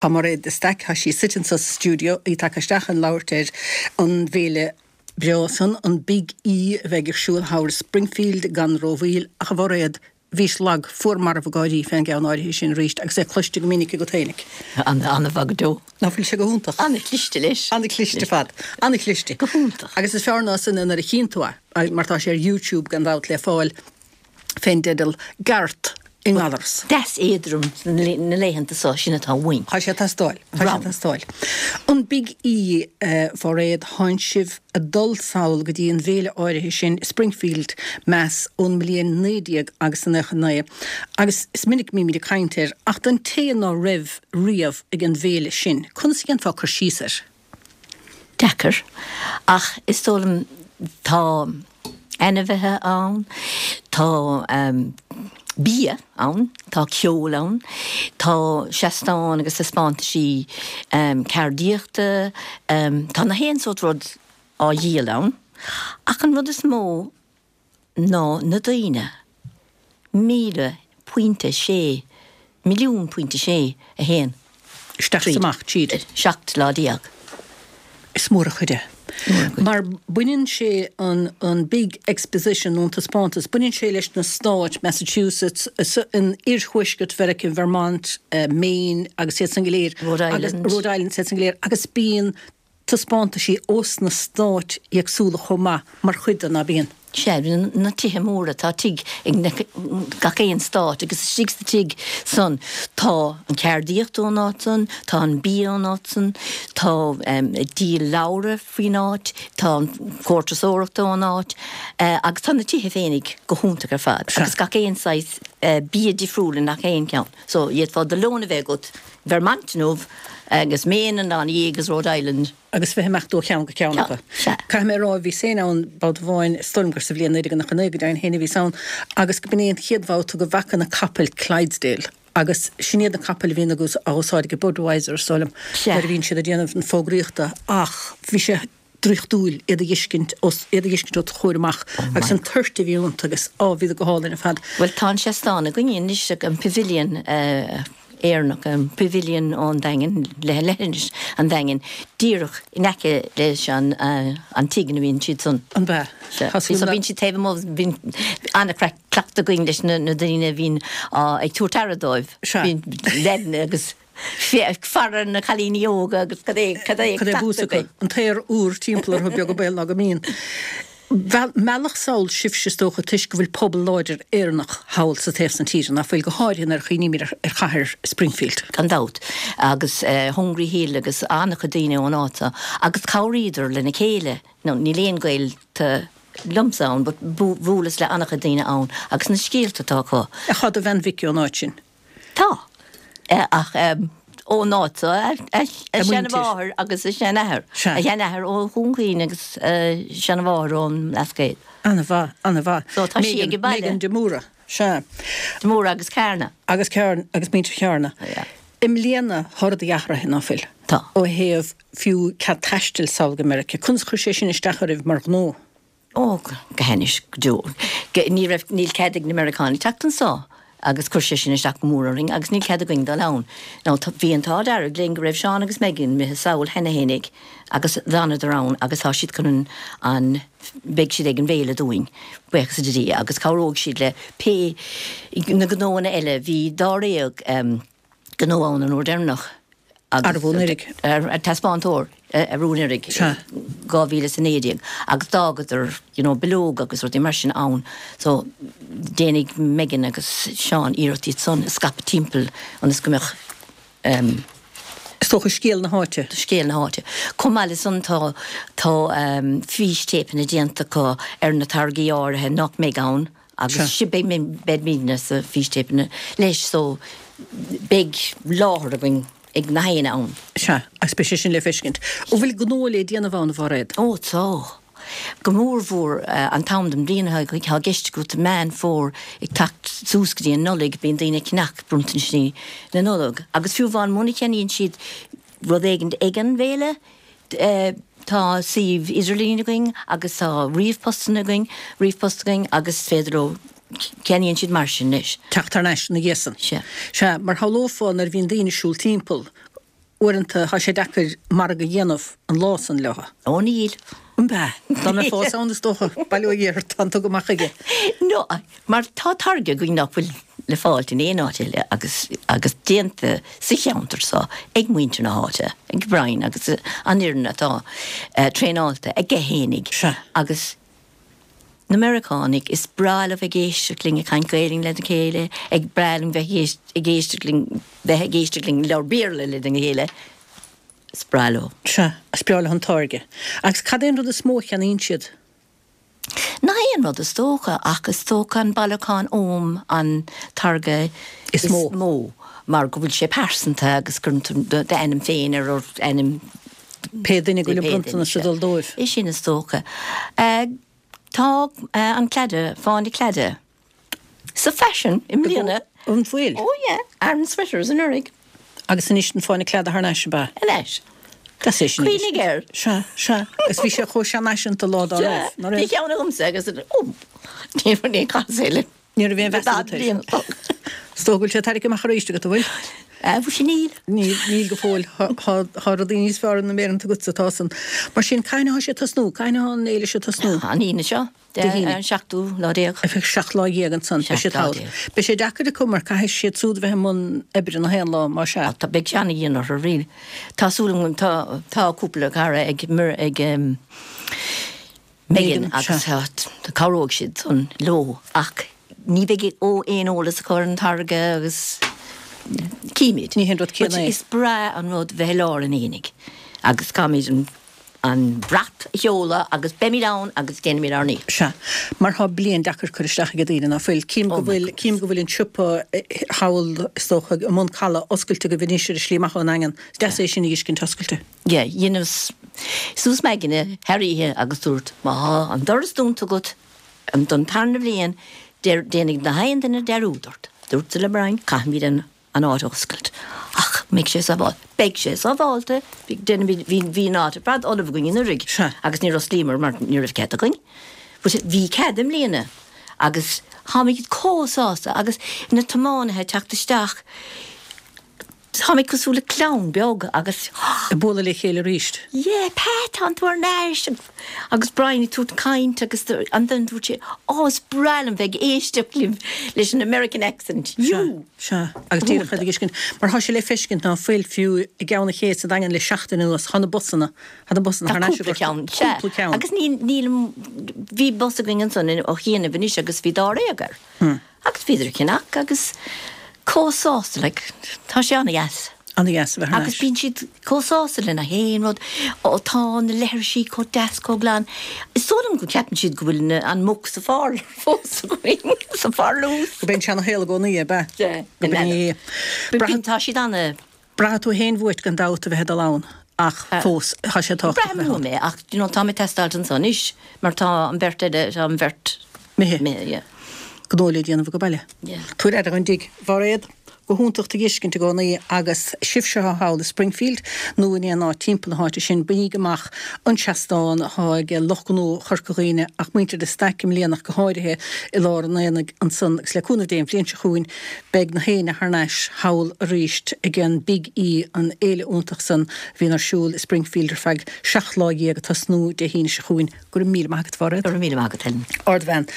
Tá Mairéad de Staic, tá sí suite anso sa stiúideo, í tagtha isteach chun labhairt ar an bhféile breá san, an Big E a bheidh ar siúl thall i Springfield gan rómhoill. Ach a Mhairéad, bhís lag, fuar marbh ag gáirí fén gceann áirithe sin arís agus é cloiste go minic agat fhéinig. An-mhaith go deo. Ná fuil sé go hiontach? An-chliste leis. An-chliste ar fad. An-chliste. Go hiontach. Agus is fearr ná sin é nuair a chíonn tú é, mar tá sé ar YouTube gan dabht le fáil. fén dteideal Garth i nGallaras. Deas éadrom na laethanta so, sin atá uainn. Tá sé ag teastáil. Tá sé ag teastáil. An Big E, a Mhairéad, thánn sibh a dul sall go dtí an bhféile áirithe sin i Springfield, Mass ón mbliain 19 agus a 99, agus is minic a mbímid ag caint air, ach don té ná raibh riamh ag an bhféile sin, conas a dhéanfá cur síos air? Deacair, ach is dóigh liom tá ainmhithe ann, tá bia ann, tá ceol ann, tá seastáin agus taispeántaisí ceardaíochta, tá na haon sórt rud á dhíol ann. Ach an rud is mó ná na daoine. 1,000 pointe sé, milliún pointe sé a théann Isteach is amach tríd. 17 lá. Is mór an chuid é. Mar baineann sé an an big exposition nó an taispeántas, baineann sé leis na stáit, Massachusetts, in oirthuaisceart Mheiriceá, Vermont, Maine agus iad san go léir. Rhode Island. Rhode Island is iad san go léir agus bíonn taispeántaisí ós na stáit éagsúla chomh maith mar chuid de, ná bíonn? Sea, na tithe móra, tá tigh ag gach aon stát agus istigh sa tigh san tá an ceardaíocht ón áit san, tá an bia ón áit san, tá díol leabhra faoin áit, tá an comhar turasóireachta ón áit agus tá na tithe féinig go hiontach ar fad agus gach aon saghas bia difriúil i ngach aon cheann. So, d'fhéadfá do lón a bheith agat Vermont inniu agus Maine an lá ina dhiaidh agus Rhode Island. Agus bheith ag imeacht ó cheann go ceann acu. Sea. Caithfidh mé a rá, bhíos féin ann babhta amháin, is dóigh liom gur sa bhliain 1999 go deimhin féin a bhíos ann, agus go b'in é an chéad bhabhta go bhfaca na capaill Clydesdale agus sin iad na capaill a bhíonn á úsáid ag Budweiser, is dóigh liom, nuair a bhíonn siad ag déanamh na fógraíochta ach bhí sé draíochtúil iad a dh'fheiscint os, iad a dh'fheiscint os do chomhair amach agus an toirt a bhí iontu agus, á, bhíodar go hálainn ar fad. Bhuel, tá an seastán againne anois, an Pavilion Éireannach, an Pavilion ón Daingean, leithinis an Daingin, díreach in aice leis an, an tigh ina mbíonn siad san. An b'ea? Sea. Tá súil So bíonn siad taobh amuigh, bíonn an-chraic cleachtadh againn leis na, na daoine a bhíonn á, ag tabhairt aire dóibh. Sea. Bíonn leaideanna agus. Faire na cailíní óga agus cad é cad é Cad é bús acu? An t-aer úr timpeall orthu beag an baol ná go mbíonn. Mealladh sall sibhse is dócha toisc go bhfuil pobal láidir Éireannach thall sa taobh san tíre, nach bhfuil, go háirithe nuair a chuimhnímid ar chathair Springfield. Gan dabht. Agus Hungry Hill agus an-chuid daoine ón áit seo. Agus cabhraíodar lena chéile. Now níl aon gaolta liomsa ann but bhuaileas le an-chuid daoine ann agus na scéalta atá acu. Ach tá do bhean mhic ón áit sin. Tá. Ach ón áit so, a seanmháthair agus a seanathair. A sheanathair ó Dhún Chaoin agus a seanmháthair ón mBlascaod. An-mhaith, an-mhaith. So tá sí ag an baile. Megan de Mórdha, sea. De Mórdha agus Carna. Agus Carna, agus muintir Charna. Yeah. I mbliana, tá rudaí athraithe, ná fuil? Tá. Ó thaobh fiú cead taistil sall go Meiriceá. Conas a chuir sé sin isteach oraibh mar ghnó? Ó, go hainnis, go deo. Ní raibh, níl cead ag na Meiriceánaigh teacht anso agus chuir sé sin isteach go mór orainn agus níl cead againn dul ann. Now, tá, bhí an t-ádh dearg linn go raibh Seán agus Megan imithe sall cheana fhéinig agus d'fhanadar ann agus tá siad chun an, an, beidh siad ag an bhféile dúinn, buíochas le Dia, agus cabhróidh siad le pé, na gnóanna eile. Bhí dáréag, em. gnó ann an uair deireanach agus Arbh anuraidh? Ar taispeántóir arú anuraidh, 2019, agus d'fhágadar you know bileog agus rudaí mar sin ann so déanfaidh Megan agus Seán iarracht iad san a scaipeadh timpeall ionas go mbeadh em. Is dócha scéal na háite. Scéal na háite. Chomh maith le san tá tá fístéipeanna déanta acu ar na táirgí áirithe nach mbeidh ann. Agus sin, beidh, beimidne sa fístéipeanna leis so beidh láthair againn ag na héinne ann. Sea, agus beidh sé sin le feiscint. An bhfuil gnó le déanamh ann, a Mhairéad? Ó tá. Go mór mhór an t-am den bhliain atá i gceist agat, Meán Fómhair ag teacht suas go dtí an Nollaig, bíonn daoine ag ceannach bronntanisí na Nollag. Agus fiú amháin muna cheannaíonn siad rud éigin ag an bhféile, Tá suíomh idirlín againn agus tá ríomhphostanna againn, ríomhphost againn agus is féidir leo, ceannaíonn siad mar sin leis. Teacht thar n-ais ina dhiaidh san. Sea. Sea, mar shamhlófá nuair a bhíonn daoine ag siúl timpeall. uaireanta tá sé deacair margadh a dhéanamh an lá san leo. Ó níl. An b'ea? Dá mbeifeá fós ann is dócha, bail ó Dhia ort, tá an tugtha amach aige. No, mar tá táirge againn nach bhfuil le fáilt in aon áit eile agus agus déanta sa cheantar seo ag muintir na háite, ag Brian agus an fhoireann atá traenáilte aige fhéinig Sea. agus na Meiriceánaigh, is breá leo bheith ag éisteacht linn ag caint Gaelainn lena chéile, ag breá linn bheith ag éisteacht linn bheith ag éisteacht linn labhairt Béarla lena chéile. Is breá leo. Sea, is breá leo an táirge. Agus cad é an rud is mó a cheannaíonn siad? Nach aon rud is dócha, ach is dócha an bailiúchán Ogham an táirge is mó. mó, mar go bhfuil sé pearsanta agus cuireann tú d'ainm féin ar ort ainm pé duine go bhfuil an bronntanas ag dul dóibh. É sin is dócha. Tá an claidhe, fáinne claide. Sa faisean i mbliana. An bhfuil? Oh yeah, Aran sweaters anuraidh. Agus anois an fáinne cladaigh thar n-ais, ab ea? Anois. Deas é sin anois. Cuimhnigh air. Sea, sea. Agus bhí sé chomh seanfhaiseanta lá dá raibh, ná raibh? Bhí ceann agamsa agus, oh, ní raibh aon chás eile. Ní raibh aon mheas agat air. Is dócha go bhfuil sé tarraingthe amach arís agat, an bhfuil? Bhuel, níl. Níl, níl go fóill. Tá rudaí níos fearr na méireanta agatsa, tá san. Mar sin, cathain atá sé ag tosnú? Cathain atá an fhéile seo ag tosnú? An Aoine seo. Dé hAoine. An seachtú lá déag. Ar feadh 17 lá ansan. Beidh siad thall. Beidh sé deacair acu mar caithfidh siad súd a bheith i mbun oibre na haon lá, má sea. Tá, beidh sé ana-dhian orthu, really. Tá súil agam, tá, tá cúpla cara ag, ag Megan agus cabhróidh siad san leo ach ní bheidh aon eolas acu ar an táirge agus címid. Ní haon rud céanna é. Is breá an rud bheith i lár an aonaigh agus caithfimid an an brat a sheoladh agus beimid ann agus déanfaimid ár ndícheall. Sea, mar tá bliain deacair curtha isteach ag daoine, ná fuil? Cím go bhfuil, cím go bhfuil an siopa thall, is dócha, i mbun Caladh oscailte agaibh anois ar an slí amach ón nDaingean. Is deas é sin a fheiscint oscailte. Yeah, dheineas suas m'aigne thar oíche agus dúrt, má thá an doras dúnta agat don tarna bhliain, déanfaidh na haon duine dearúd ort. Dúrtsa le Brian, caithfimid an. an áit a oscailt. Ach mbeidh sé sábháilte? Beidh sé sábháilte. Bhí, bhí, bhí an áit ar fad ullamh againn anuraidh agus níor osclaíomar mar ní raibh cead againn. But bhí cead i mbliana agus tháimid chomh sásta agus na tiománaithe ag teacht isteach, táimid cosúil le clann beag agus. Ag bualadh le chéile arís. Yeah, Pat, tánn tú ar ais! Agus Brian ag tabhairt caint agus ansan dúirt sé, oh is breá liom bheith ag éisteacht libh leis an American accent, you! Sea, agus díreach iad ag fheiscint, mar thá sé le feiscint ná fuil fiú i gCeann an Ché sa Daingean le seachtain anuas, thá na busanna, thá na busanna thar n-ais i gCorcaigh. Cúpla ceann, sea. Cúpla ceann. Agus níl, níl, bhí bus againn ansan ó chianaibh anois agus bhí dáréag air. Agus bhíodar ag ceannach agus chomh sásta, like, tá sé an-dheas. An-dheas a bheith thar Agus bíonn siad chomh sásta le nach aon rud, ó tá na leithrisí chomh deas, chomh glan. Is dóigh liom go gceapann siad go bhfuil na, an muc sa pharlúr fós againn, sa pharlús. Gurb é an seana-shaol i gcónaí, ab ea? Sea, Gurb in é. Bíonn, tá siad ana. Braithfidh tú fhéin uait gan dabht a bheith ag dul ann ach fós tá sé tábhachtach a bheith ann. Braithim uaim é ach you know tá mé ag teastáilt anso anois mar tá an bheirt eile, tá an bheirt imithe. Imithe, yeah. Gnó le déanamh ag baile. Yeah. Tabhair aire dhon dtigh. Mhairéad, go hiontach tú a dh'fheiscint i gcónaí agus sibhse atá thall i Springfield nó in aon áit timpeall na háite sin, bainigí amach an seastán atá ag lucht gnó Chorca Dhuibhne ach muintir de Staic i mbliana ach go háirithe i lár an aonaigh ansan agus le cúnamh Dé an bhliain seo chugainn Beidh na héinne thar n-ais thall arís ag an Big E, an fhéile iontach san a bhíonn ar siúl i Springfield ar feadh 17 lá ag tosnú Dé hAoine seo chugainn. Go raibh míle maith agat, a Mhairéad. Go raibh míle maith agat, Helen. Ardbhean.